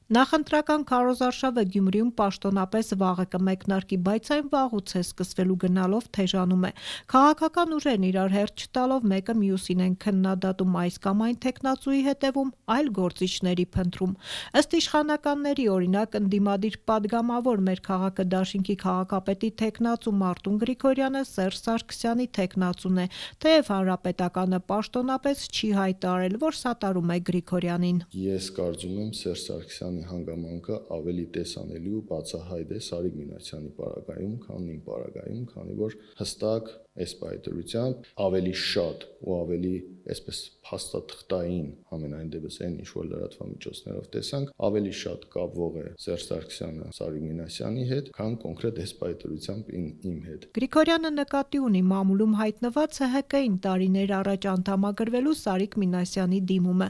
Նախընտրական քարոզարշավը Գյումրիում պաշտոնապես վաղը կմեկնարկի, բայց այն վաղուց է սկսվելու գնալով թեժանում է։ Քաղաքական ուժերն իրար հերթ չտալով մեկը մյուսին են քննադատում, այս կամ այն թեկնածուի հետևում, այլ գործիչների փնտրում։ Ըստ իշխանականների, օրինակ, ընդդիմադիր падգամավոր մեր քաղաքը դաշինքի քաղաքապետի թեկնածու Մարտուն Գրիգորյանը Սերժ Սարգսյանի թեկնածուն է, թեև հանրապետականը պաշտոնապես չի հայտարարել, որ սատարում է Գրիգորյանին։ Ես կարծում եմ Սերժ Սարգսյանի հանգամանքը ավելի տեսանելի ու բացահայտ է Սարիկ Մինասյանի պարագայում, քան իմ պարագայում, քանի որ հստակ այս պայթրությամբ ավելի շատ ու ավելի այսպես փաստաթղթային, համենայն դեպս այն ինչ որ լրատվամիջոցներով տեսանք, ավելի շատ կապվող է Սերժ Սարգսյանը Սարիկ Մինասյանի հետ, քան կոնկրետ այս պայթրությամբ իմ հետ։ Գրիգորյանը նկատի ունի մամուլում հայտնված ՀՀԿ-ին տարիներ առաջ անդամագրվելու Սարիկ Մինասյանի դիմումը։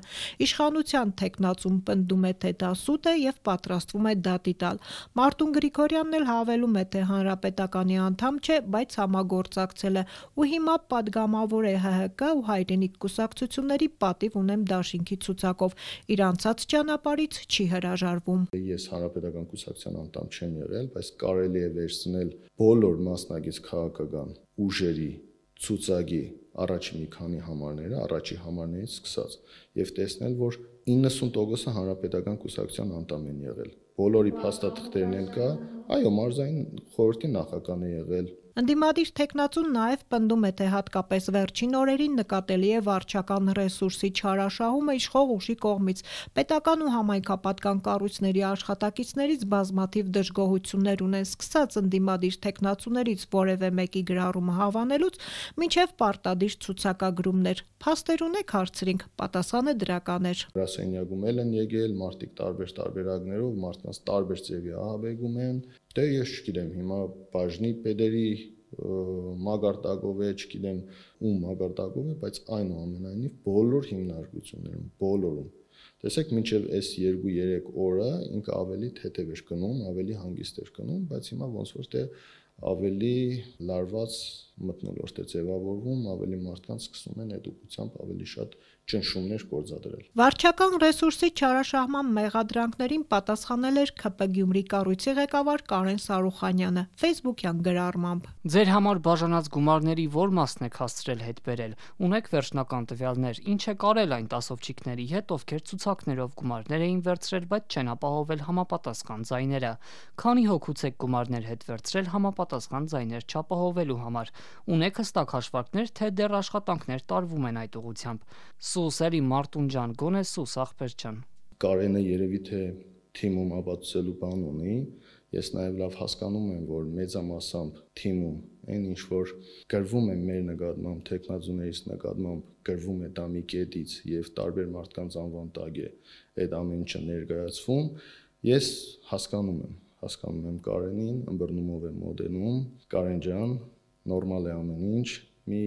Իշխանության թեկնածուն պնդում է, թե դա սուտ է եւ պատրաստվում է դատի տալ։ Մարտուն Գրիգորյանն էլ հավելում է, թե հանրապետականի անդամ չէ, բայց համագործակցել է ու հիմա падգամավոր է ՀՀԿ ու Հայրենիք կուսակցությունների պատիվ ունեմ դաշինքի ցուցակով։ Իր անցած ճանապարհից չի հրաժարվում։ Ես հանրապետական կուսակցության անդամ չեմ եղել, բայց կարելի է վերցնել բոլոր մասնագետ քաղաքական ուժերի ցուցակի առաջի մի քանի համարները, առաջի համարներից սկսած, եւ տեսնել, որ 90%-ը հանրապետական կուսակցության անդամ են եղել։ Բոլորի փաստաթղթերն էլ կա, այո, մարզային խորհրդի նախագահն է եղել։ Ընդդիմադիր թեկնածուն նաև պնդում է, թե հատկապես վերջին օրերին նկատելի է վարչական ռեսուրսի չարաշահումը իշխող ուժի կողմից։ Պետական ու համայնքապատկան կառույցների աշխատակիցներից բազմաթիվ դժգոհություններ ունեն, սկսած ընդդիմադիր թեկնածուներից որևէ մեկի գրառումը հավանելուց, մինչև պարտադիր ցուցակագրումներ։ Փաստեր ունեք, հարցրինք, պատասխանը դրական էր։ Գրասենյակում էլ են եկել մարդիկ տարբեր տարբերակներով, մարդկանց տարբեր ձևի ահաբեկում են։ Դե ես չգիտեմ, հիմա բաժնի պետերի մագարտակով է, չգիտեմ ում մագարտակով է, բայց այնուամենայնիվ բոլոր հիմնարկություններում, բոլորում։ Տեսեք, մինչև այս 2-3 օրը ինքը ավելի թեթև էր գնում, ավելի հանգիստ էր գնում, բայց հիմա ոնց որ թե ավելի լարված մթնոլորտ է ձևավորվում, ավելի մարդկանց սկսում են էդուկությամբ ավելի շատ ճնշումներ գործադրել։ Վարչական ռեսուրսի չարաշահման մեղադրանքներին պատասխանել էր ՔՊ Գյումրի կառույցի ղեկավար Կարեն Սարուխանյանը Facebook-յան գրառմամբ։ Ձեր համար բաժանած գումարների ո՞ր մասն եք հասցրել հետ բերել։ Ունեք վերջնական տվյալներ, ինչ է կարել այն տասովչիկների հետ, ովքեր ցուցակներով գումարներ էին վերցրել, բայց չեն ապահովել համապատասխան ձայները։ Քանի հոգուց եք գումարներ հետ վերցրել համապատասխան ձայներ չապահովելու համար։ Ունեք հստակ հաշվարկներ, թե դեռ աշխատանքներ տարվում են այդ ուղղությամբ։ Սուս էլի Մարտուն ջան, գոնե սուս ախպեր ջան։ Կարենը երևի թե թիմում ապացուցելու բան ունի։ Ես նաև լավ հասկանում եմ, որ մեծամասամբ թիմում այն ինչ որ գրվում է մեր նկատմամբ, թեկնածուներից նկատմամբ, գրվում է դա մի կետից եւ տարբեր մարդկանց անվան տակ է այդ ամեն ինչը ներկայացվում, ես հասկանում եմ Կարենին, ըմբռնումով եմ մոտենում, Կարեն ջան, նորմալ է ամեն ինչ, մի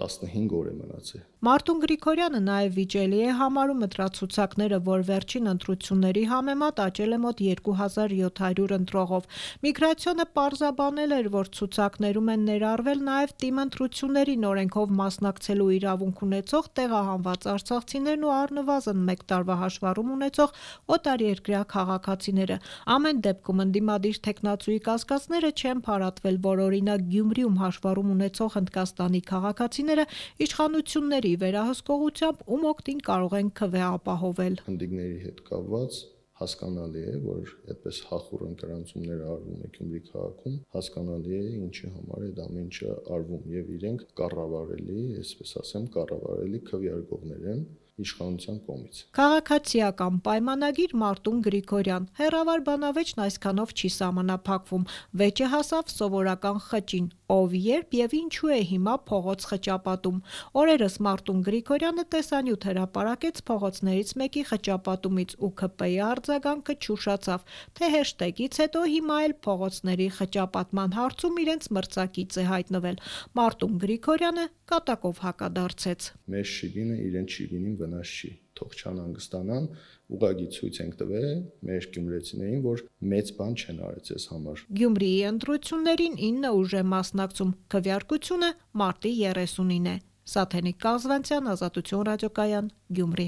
15 օր է մնացել։ Մարտուն Գրիգորյանը նաև վիճելի է համարում ընտրացուցակները, որ վերջին ընտրությունների համեմատ աճել է մոտ 2700 ընտրողով։ Միգրացիոնը պարզաբանել էր, որ ցուցակներում են ներառվել նաև թիմ ընտրություններին օրենքով մասնակցելու իրավունք ունեցող տեղահանված արցախցիներն ու առնվազն 1 տարվա հաշվառում ունեցող օտարերկրյա քաղաքացիները։ Ամեն դեպքում ընդդիմադիր թեկնածուի կասկածները չեն փարատվել, որ օրինակ Գյումրիում հաշվառում ունեցող Հնդկաստանի քաղաքացիները իշխանությունների վերահսկողությամբ ում օգտին կարող են ՔՎ ապահովել։ Հնդիկների հետ կապված հասկանալի է, որ այդպես հախուռ ընկերանցումներ արվում է Գյումրի քաղաքում, հասկանալի է ինչի համար այդ ամեն ինչը արվում եւ իրենք կառավարելի, այսպես ասեմ, կառավարելի քվեարկողներ են իշխանության կողմից։ Քաղաքացիական պայմանագիր Մարտուն Գրիգորյան։ Հեռավար բանավեճն այսքանով չի սահմանափակվում։ Վեճը հասավ սովորական խճին, ով երբ եւ ինչու է հիմա փողոց խճապատում։ Օրերս Մարտուն Գրիգորյանը տեսանյութ հրապարակեց փողոցներից մեկի խճապատումից ու ՔՊ-ի արձագանքը չուշացավ, թե հեշթեգից հետո հիմա էլ փողոցների խճապատման հարցում իրենց մրցակից է հայտնվել։ Մարտուն Գրիգորյանը կատակով հակադարձեց։ Մեր շիգինը իրեն շիգինին վնաս չի, թող չանհանգստանան, ուղղակի ցույց ենք տվել մեր գյումրեցիներին, որ մեծ բան չեն արել այս համար։ Գյումրիի ընտրություններին 9 ուժ է մասնակցում, քվեարկությունը մարտի 30-ին է։ Սաթենիկ Կազվանցյան, Ազատություն ռադիոկայան, Գյումրի։